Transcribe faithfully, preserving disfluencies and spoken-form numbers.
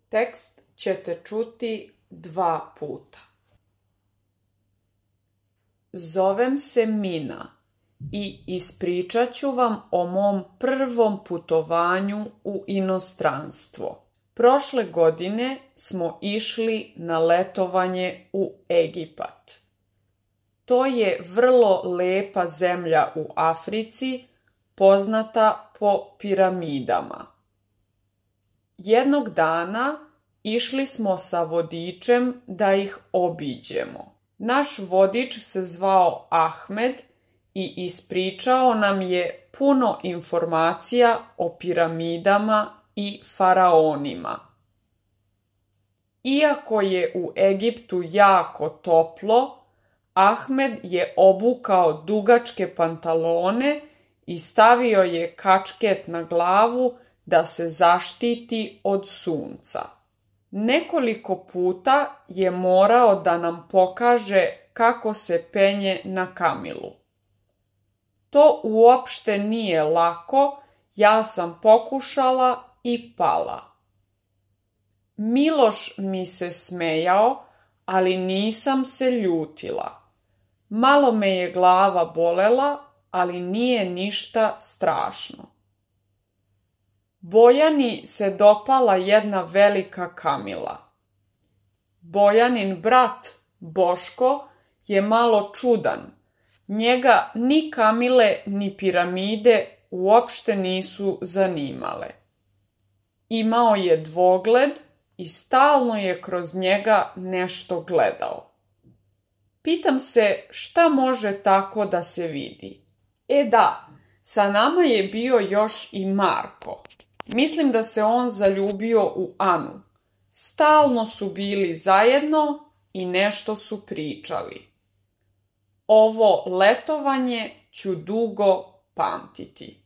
Tekst ćete čuti dva puta. Zovem se Mina i ispričat ću vam o mom prvom putovanju u inostranstvo. Prošle godine smo išli na letovanje u Egipat. To je vrlo lepa zemlja u Africi, poznata po piramidama. Jednog dana išli smo sa vodičem da ih obiđemo. Naš vodič se zvao Ahmed i ispričao nam je puno informacija o piramidama i faraonima. Iako je u Egiptu jako toplo, Ahmed je obukao dugačke pantalone i stavio je kačket na glavu da se zaštiti od sunca. Nekoliko puta je morao da nam pokaže kako se penje na kamilu. To uopšte nije lako, ja sam pokušala i pala. Miloš mi se smejao, ali nisam se ljutila. Malo me je glava bolela, ali nije ništa strašno. Bojani se dopala jedna velika kamila. Bojanin brat, Boško, je malo čudan. Njega ni kamile ni piramide uopšte nisu zanimale. Imao je dvogled i stalno je kroz njega nešto gledao. Pitam se šta može tako da se vidi. E da, sa nama je bio još i Marko. Mislim da se on zaljubio u Anu. Stalno su bili zajedno i nešto su pričali. Ovo letovanje ću dugo pamtiti.